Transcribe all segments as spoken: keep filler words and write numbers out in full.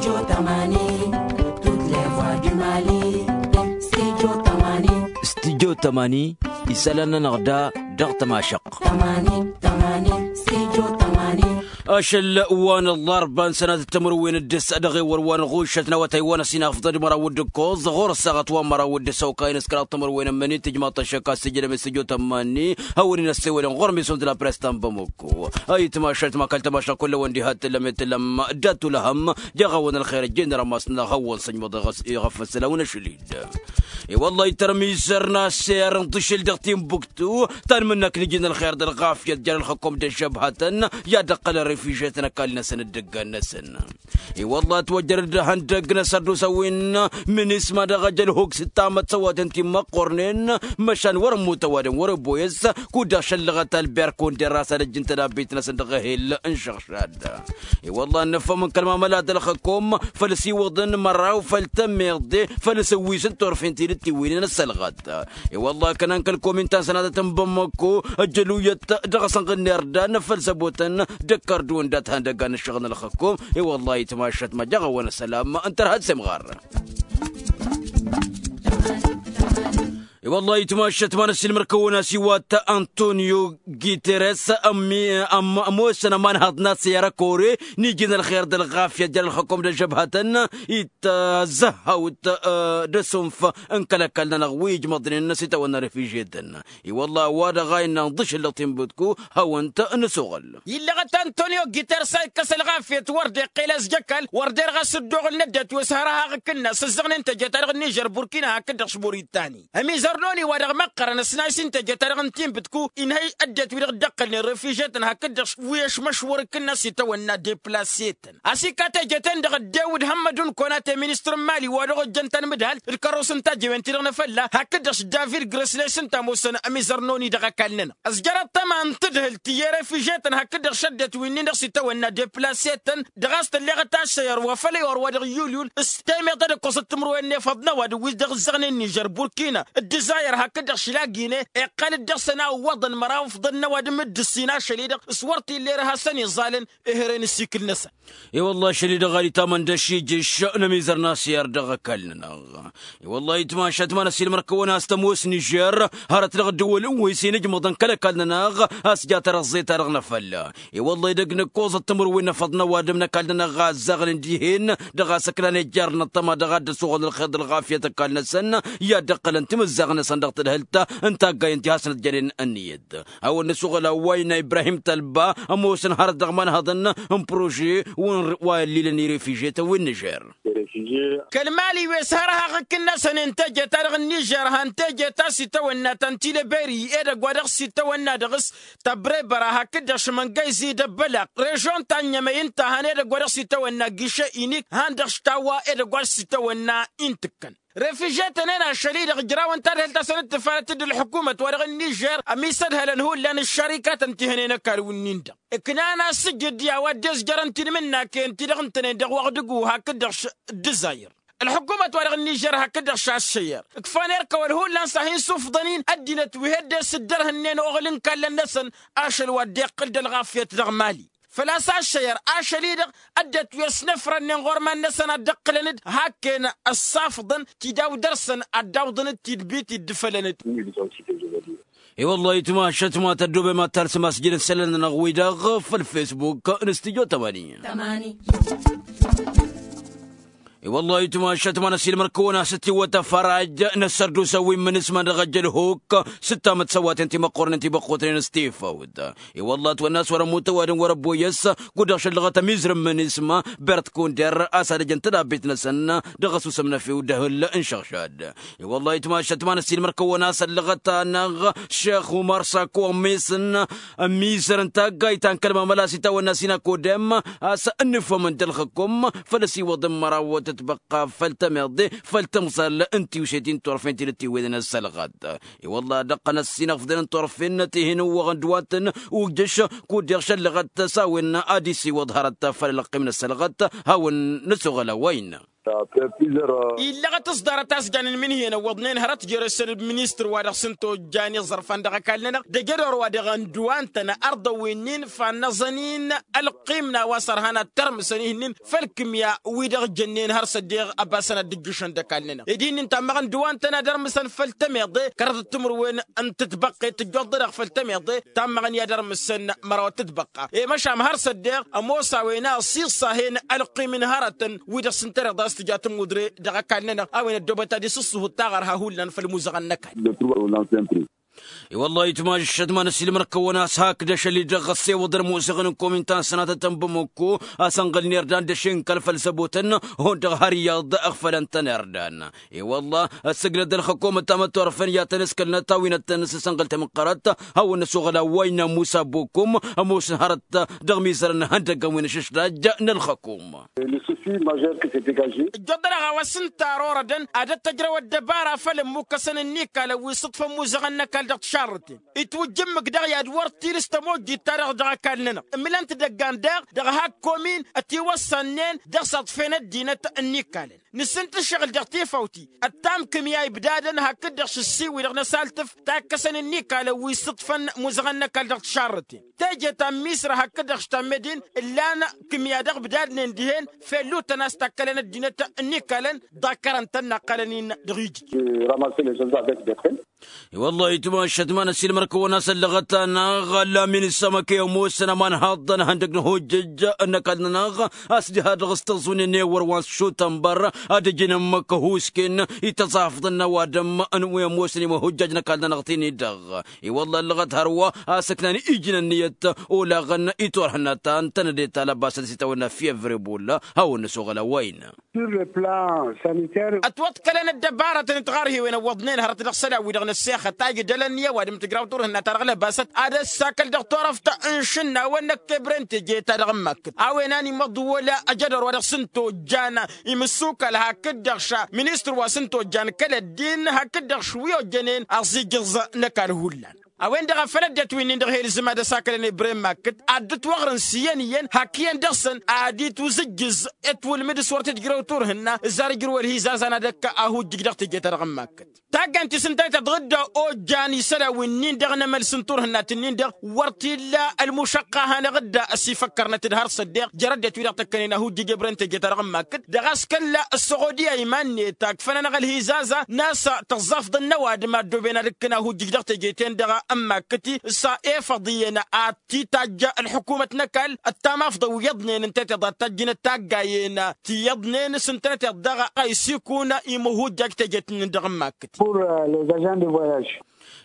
Studio tămani. Studio tămani. Isălan-nănăɣ da dăɣ-tămašăɣt. Ašăl wa n-ăllarba n-sănatăt timǝrwen d-ǝssa dăɣ-ewăr wa n-ɣušăt n-awătay wa n-ăsinafḍăd măraw d-ǝkkoẓ ɣur-ăssaɣăt wa n-măraw d-ǝssa okayăn s-kăraḍ timǝrwen n-mănit tǝjmaḍ-t ăššăk a-s tǝjrăm i-studio tămani. Hawăn-in ăssewălăn ɣur-misun d-la press ta n-bamuk. Ayǝtmašat ma kăl-tămašat kull-a-wen diha t-tǝllăm i-tǝllăm dat-tulăhăm. Jaɣ-a-wen ălxer ăjjeen d-rămas-năɣ hawăn-săjmăḍ iɣăf ăssălawăn ašăl-dd. I-wăllah itărmizăr n-aser n-tǝšǝl dăɣ-timbuktu ta n-imǝnnak n-iji n-ălxer d-ălɣafyăt jer-ălxăkum d-ăžžăbhătăn i-ad-ăqqălăn refižetăn ăkall-năsăn d-ǝggan-năsăn. I-wăllah ătwăjjăr-dd ihăndăgg n-asărdus a-wen minisma dăɣ-ejăl huk s-ǝttamăt săwatăn ti n-măqqornen. Măšan wăr-ămmut ăwadǝm wăr-ăboyăs kud-dăɣ šăllăɣăt albert kunder a-s ad-ăjjǝn tădabbit-năsăn dăɣ-ehel n-išăɣšad. I-wăllah ănnăfăm n-kăl-mamăla d-ălxăkom făl s-iwwăḍăn măraw făll-tămmiḍe făl s-ǝwwis n-turfen ti d-tiwǝynen ăssălɣăt. I-wăllah kănan kăl-komin ta n-sănatăt n-bămmăko ăjjăluyăt dăɣ-asănɣǝnner dan făll-săbotăn d-ăkkărduwăn dat-han d-ăggan n-ǝššăɣǝl n-ălxăkom. I-wăllah itmašat ma jaɣ-awăn ăsălam ǝnta ărhăd s-imɣar. I-wăllah itmašat ma n-ăssiilmăr-kăwăn a-s iwat antonio guiteres ămoosăn ămanhăḍ n-asăyar ăkore n-iji n-ălxer d-ălɣafyăt jer-ălxăkom d-ăžžăbhătăn. Ittăzzăhhăwt d-asunf n-kăl-ăkall-nănăɣ wi ijmăḍnen s-itawănna refižetăn. I-wăllah a-wa-dăɣ a innă ǝnḍǝšǝl dăɣ-tinbǝtku hawăn-t-nǝsuɣǝl. Illăɣăt antonio guiteres a ikkăs ălɣafyăt wăr dd-iqqel a-s j-ăkall wăr dd-erɣ a-s dd-oɣǝl n-ăddinăt wi s-hărăhaɣ ǝkǝnnas ǝzzăɣnen teje-ta-dăɣ n-nižer burkina hakd-dăɣ s-buritani. Ămizărnoni wa dăɣ-măqqărăn ăsnayǝs n-teje-ta-dăɣ n-tinbǝtku inhăy ăddinăt wi-dăɣ dd-ăqqălnen refižetăn hakd-dăɣ wi ăšmăšwăr ǝkǝnnas itawănna deplase-tăn a-s ikka teje-ten-dăɣ ăddewǝd hămmădun konate ministăr n-mali wa dăɣ-ojjăn tanmǝdhalt d-kărros n-tajǝwen-ti-dăɣ n-afălla hakd-dăɣ s-david gresnayǝs ǝnta ămoosăn ămizărnoni dăɣ-ăkall-nănăɣ. Ăzjăr ăṭṭăma n-tǝdhǝlt i-refižetăn hakd-dăɣ šăddăt wi-nin-dăɣ s-itawănna deplase-tăn dăɣ-a-s tălleɣăt ašăyăr wa făll-ewăr wa dăɣ-yulyul s-temeḍ ad-ǝkkoẓăt timǝrwen n-efăḍ n-ăwadǝm wi-dăɣ ǝzzăɣnen nižer burkina d-dizayăr hakd-dăɣ šlagine iqqăl-dd dăɣ-săn a ǝwwăḍăn măraw ǝfḍăn n-ăwadǝm d-ǝssin ašăl-i-dăɣ s-wăr t-illa erha a săn-iẓalăn. Ehere n-ǝssikǝl-năsăn. I-wăllah ašăl-i-dăɣ a d-itamănda šijǝš n-ămizăr n-asiyar dăɣ-ăkall-nănăɣ. I-wăllah itmašat ma n-ăsilmăr-kăwăn a-s tămoos nižer hărăt dăɣ-ăddăwăl n-wăysen ǝjmăḍăn kăl-ăkall-nănăɣ a-s ja tărăẓẓe-ta-dăɣ n-afălla. I-wăllah edăgg n-ǝkkoẓăt timǝrwen n-efăḍ n-ăwadǝm n-ăkall-nănăɣ a ăzzaɣnen dihen dăɣ-a-s ǝknan ejjar n-ăṭṭăma dăɣ-ad-dd-ăsuɣăn ălxer d-ălɣafyăt ăkall-năsăn i-ad-dd-ăqqălăn timǝzzaɣ-năsăn dăɣ-tadhǝlt n-taggay ǝnta i-hasăn-ătjănen ǝnniyăt. Hawăn-nǝsuɣǝl a-wa innă ibrahim tălba ămoosăn hărăt dăɣ-imanhăḍăn n-prože wa ăllilăn i-refiže-tăn wi n-nižer. Kăl-mali wi s-hărhăɣ ǝkǝnnăsăn n-teje-ta-dăɣ n-nižer han teje ta s-itawănna ta n-tileberi edăgg wa dăɣ-s itawănna dăɣ-s tăbrebăra hakd-dăɣ šmăngăyzi d-ăbbălaq režon ta n-ɲămăy ǝnta han edăgg wa dăɣ-s itawănna giše inik han dăɣ-s tawa edăgg wa s-itawănna intǝkkăn. Refiže-tăn-en ašăl-i-dăɣ ǝjrawăn tadhǝlt a-s ănǝttǝfalăt d-ălḥǝkumăt wa dăɣ-nižer ămisădhălăn hullan ǝššărikatăn ti hănen ăkall-wǝnnin-dăɣ. Ǝknan a-s sǝjǝd i-a-wa dd-izjărăn tinmǝnnaken-ti-dăɣ ǝntănen dăɣ-wăɣdǝgu hakd-dăɣ d-ǝzzayăr ălḥǝkumăt wa dăɣ-nižer hakd-dăɣ šaššăyăr ǝkfan erk ăwăl hullan s-ad-hin-sufḍăn-in ăddinăt wi heddesǝddărhǝnnen oɣǝl n-kallăn-năsăn. Ašăl wa dd-iqqǝl d-ălɣafyăt dăɣ-mali. Făl-a-s ašăyăr ašăl-i-dăɣ ăddinăt wi ăsnăfrănnen ɣur-iman-năsăn ad-dd-ǝqqǝlăn-dd hakken ăssafḍăn ti daw-dăr-săn ad-dawḍăn-dd tidbit iddǝfălăn-dd. I-wăllah itmašăt ma tăddobem ad-talsăm asjăl n-isălan-nănăɣ-wi-dăɣ făll-fesbuk n-studyo tămani. I-wăllah itmašăt ma n-ăsilmăr-kăwăn a-s ătiwăt afăraj n-ăssărdusa wi n-imǝnǝsma dăɣ-ejăl huk s-ǝttamăt săwaten ti măqqornen ti băqqutnen s-tifăwt. I-wăllah ătwănna a-s wăr-ămmut ăwadǝm wăr-ăbboyăs kud-dăɣ šăllăɣăt ămizrǝm n-isma bert kunder a-s ad-ăjăn tădabbit-năsăn dăɣ-ăsusǝm n-efew d-ehǝl n-išăɣšad. I-wăllah itmašăt ma n-ăsiilmăr-kăwăn a-s ăllăɣăt-anăɣ šex umar sako ămmisǝn ămizăr n-taggayt ta n-kăl-mamăla s-itawănna sinakodem a-s ǝnnǝfhămăn d-ălxǝkum făl-ăsiwăḍ n-măraw tătbăqqa făll-tămeḍe făll-tămẓal n-tiwset-i n-turfen ti n-ătiwǝynen ăssălɣăt. I-wăllah ad-ăqqăn ăssinăfḍen n-turfen tihen ǝwwăɣăn d-wa-tăn ujjăš kud-dăɣ šăllăɣăt s-a-wen ad-isiwăḍ hărăt făll-ălăqqim n-ăssălɣăt. Hawăn-nǝsuɣăl a-wa innă. Illăɣăt s-ḍarăt a-s jan n-imǝnhǝyăn ăwwăḍnen hărăt jere-săn d-ministăr wa dăɣ-s n-tojjan iẓărfan dăɣ-ăkall-nănăɣ d-ejădor wa dăɣ-ăndǝwan-tăn ardăwwin-in fannăẓăn-in ălqim n-a-wa s-ărhan ad-tărmǝsăn ihǝnnin făll-kǝmya wi-dăɣ jănnen har s-ăddeɣ ăbasăn ad-dd-ǝjjǝšăn d-ăkall-nănăɣ ed ihǝnnin tammăɣăn dăɣ-wa n-tăn ad-ărmǝsăn făll-tămeḍe kăraḍăt timǝrwen n-tǝtbăqqet tǝjjoḍ-dăɣ făll-tămeḍe tammăɣăn i-ad-ărmǝsăn măraw tǝtbăqqa i-măšan har s-ăddeɣ ămoos a-wen a ăṣiṣṣahen ălqim n-hărătăn wi-dăɣ s-ǝntăneḍ a-s tǝja tămudre dăɣ-ăkall-nănăɣ a-wen ăddoobăt ad-isǝṣṣuhu d-taɣărha hullan făll-imuzăɣăn n-ăkall. I-wăllah itmašăt ma n-ăsiilmăr-kăwăn a-s hakd ašăl-i-dăɣ ăssewăḍăn ămoosăɣăn n-komin ta n-sănatăt n-bamăkko a-s ănɣălnen irdan d-ašǝnkal făll-săbotăn hundăɣ har iyyăḍ ăɣfălăn-tăn irdan. I-wăllah ăssǝgnăt d-ălxăkomăt tamăttorăfăn i-ad-tăn-ǝskălnăt a-wen ad-tăn-sǝsănɣăl tamǝqqărăt hawăn-năsoɣăl a-wa innă musa bokum ămoosăn hărăt dăɣ-mizărăn ihăndăggăn wi n-ašǝšraj n-ălxăkom. Ǝjjoḍănăɣ a-wa s-ǝnta ar orădăn ad-ăttăjrăw ăddăbara făll-ămmukkăsăn n-ikalăn wi s-ǝṭṭfăn imuzăɣăn n-ăkall dăɣ-tišarrǝten itwǝjjǝmmǝk daɣ i-ad-wăr t-ilǝs tămojjit-ta-dăɣ dăɣ-ăkall-nănăɣ ǝmǝlăn-t idăggan daɣ dăɣ-hak komin ătiwăssannen dăɣ-s ăḍfen ăddinăt n-ikalăn nǝssǝnt ǝššăɣǝl dăɣ-tifawt i-ăttam kǝmya ibdadăn hakd-dăɣ šǝssi wi-dăɣ n-ăsaltǝf takkăsăn n-ikalăn wi s-ǝṭṭfăn imuzăɣăn n-ăkall dăɣ-tišarrǝten teje ta n-misra hakd-dăɣ štammedin ǝllan kǝmya dăɣ-ibdadnen dihen fellutăn a-s takkălăn ăddinăt n-ikalăn ḍakkărăn-tăn naqqălăn-in dăɣ-ijǝj. I-wăllah itmašăt ma n-ăsiilmăr-kăwăn a-s ăllăɣăt-anăɣ ăllam-in s-amăkăy ămoosăn aman haḍăn ihăndăg n-ahojjăj n-ăkall-nănăɣ a-s diha-dăɣ s-tăẓunen i-wăr wa n-sutănbăr ad-ǝjǝn ǝmmǝk ăhuusken i-tăẓafḍăn n-ăwadǝm n-wi ămoosăn imăhojjaj n-ăkall-nănăɣ tin-i-dăɣ. I-wăllah ăllăɣăt hărwa a-s ǝknan ijǝn ǝnniyăt olaɣăn i-turhǝnna ta n-tănăde ta lăbasăt s-itawănna fievre bolla hawăn-năsoɣăl a-wa innă. Ătwăḍkălăn ăddăbarătăn d-tiɣarhiwen ăwwăḍnen hărăt dăɣ-isălan-wi-dăɣ n-ăssexăt a ǝjdălăn i-ăwadǝm tǝjraw turhǝnna-ta-dăɣ lăbasăt ad-ăssakăl dăɣ-turăft n-išǝnnawăn năkk ebren teje-ta-dăɣ n-makkǝt a-wen a nimăḍwăl ăjădor wa dăɣ-s n-tojjan imǝssukal hakd-dăɣ ša ministăr wa s-n-tojjan kăl-ăddin hakd-dăɣ š-wi ojjănen aẓijǝẓ n-ăkall hullan. A-wen-dăɣ a făl ăddinăt wi-nin-dăɣ hi-ilzǝm ad-ăsakălăn ebrem makkǝt ad-dd-ǝtwăɣrǝn s-iyyăn iyyăn hak iyyăn dăɣ-săn ad-itwǝzǝjjǝz ătwǝlmǝd s-wăr tǝjjrăw turhǝnna ǝzzar ǝjrǝw ălhizazan ad-ăkk ahujjǝj dăɣ-teje-ta-dăɣ n-makkǝt. Taggant-i s-ǝntănăt-dd ojjan isălan wi-nin-dăɣ n-emăls n-turhǝnna-t-nin-dăɣ wăr t-illa ălmušăqqa a hanăɣ-dd ăsifăkkărnăt d-har s-ăddeɣ jer-ăddinăt wi-dăɣ tăkkănen ahujjǝj ebrem teje-ta-dăɣ n-makkǝt dăɣ-a-s kăl-ăssoɣodiya iman-net a ǝkfănăn-aɣ ălhizaza n-a-s tăẓẓafḍăn n-ăwadǝm a ăddooben ad-ǝkkǝn ahujjǝj dăɣ-teje-ten-dăɣ n-makkǝt-i s-efăḍ iyyăn ad-t-itajj ălḥukumăt n-ăkall ăttamafḍăn wi iyyăḍnen ǝnta i-tiḍa d-tajjǝnăt taggayen ti iyyăḍnen s-ǝntănăt-iḍ daɣ a isikun imǝhujjaj teje-t-nin-dăɣ n-makkǝt.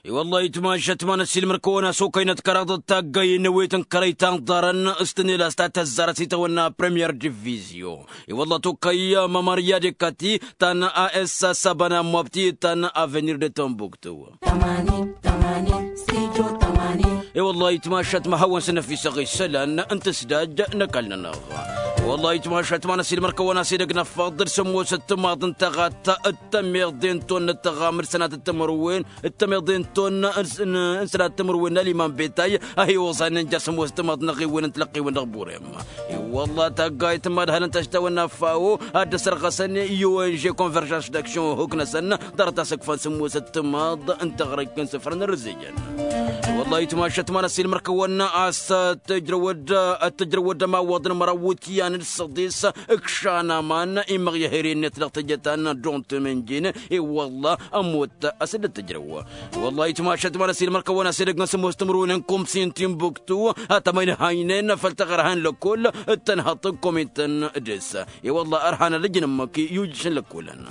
I-wăllah itmašăt ma n-ăsiilmăr-kăwăn a-s okăynăt kăraḍăt taggayen n-ewet n-kărăy ta n-ḍarăn s-tǝnela s-ta tăzzarăt s-itawănna premier divizyo. I-wăllah tokăy mămăr i-ad-ikkăti ta n-a s sabana mobti ta n-avenir de tombuktu. I-wăllah itmašăt ma hawăn-săn ăfisăɣ isălan n-tǝsdaj n-ăkall-nănăɣ. I-wăllah itmašăt ma n-ăsiilmăr-kăwăn a-s edăgg n-afăḍ d-sămoosăt timaḍ n-tăɣat d-tămeḍe n-tonnăt tăɣamăd sănatăt timǝrwen d-tămeḍe n-tonnăt n-sănatăt timǝrwen n-aliman betay a hi-oẓanen ja sămoosăt timaḍ n-aɣiwen n-tilăqqiwen dăɣ-burem. I-wăllah taggayt n-imadhălăn ta s-tawănna fao ad-dd-ăsărɣăsăn i-onže konverjans d-aksion huk-năsăn ḍarăt a-s ǝkfăn sǝmmosăt timaḍ n-taɣrăjt n-isǝfrăn ărǝzzejăn. I-wăllah itmašăt ma n-ăsiilmăr-kăwăn a-s tǝjrăwăd tǝjrăwăd ămawwăḍăn măraw wǝtyan d-săḍis ǝkšan aman imăɣ i-ahere-net dăɣ-teje ta n-dont mǝnjin. I-wăllah ămoot a-s dd-tǝjrăw. I-wăllah itmašăt ma n-ăsiilmăr-kăwăn a-s edăgg n-sǝmmos timǝrwen n-kumsin timbuktu a-tămăynhăynen făll-taɣărha n-lăkkol d-tănhăḍt n-komităn dăr-s. I-wăllah ărhan ad-ǝjǝn ǝmmǝk i-ujǝš n-lăkkolăn.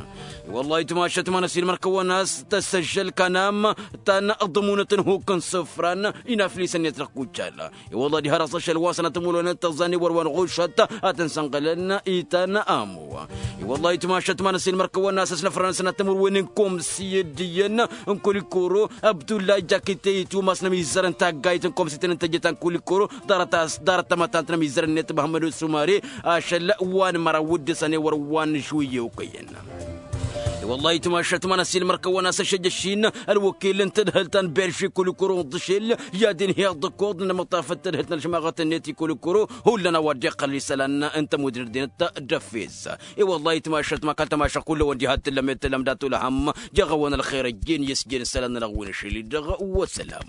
I-wăllah itmašăt ma n-ăsiilmăr-kăwăn a-s tăssăžžăl kanam ta n-ăḍmunăt n-huk n-isǝfran inaflisăn-net dăɣ-kuccal. I-wăllah diha dăɣ-s ašăl wa n-sănatămulăwăn d-tăẓẓa n-ewăr wa n-ɣušăt a tăn-sănɣălăn itan amu. I-wăllah itmašăt ma n-ăsiilmăr-kăwăn a-s ăsnăfrăn sănatămulwen n-komsi d-iyyăn n-kulikoro abdullah jakite itwǝmas n-ămizzăr n-taggayt n-komsi-tăn n-tejăt ta n-kulikoro ḍarăt-as ḍarăt tamătant n-ămizzăr-net măhămmăd osumare ašăl wa n-măraw wǝddǝsăn ewăr wa n-žuyyewkăyăn. Wăllahi timašat ma n-asilmăr kăwăn-asăšăj ăššin ălwăkil n-tadhǝlt ta n-berži kulikuru n-ḍǝšel i-ad-inhiḍ d-ǝkkoḍ n-amăṭṭafăt tadhǝlt n-ălšmaɣăt-net i-kulikuru. Hullan a-wa dd-iqqăl isălan n-tămudnăt dinăt d-ăffes. I-wăllahi timašat ma kăl-tamašăɣt kull-ăwăn diha t-tǝllăm i-tǝllăm dat-ulhăm. Jeɣ-awăn ălxer ăjjeen i-s jen isălan n-ălɣăwwen ašăl-i-dăɣ. Wăsălam.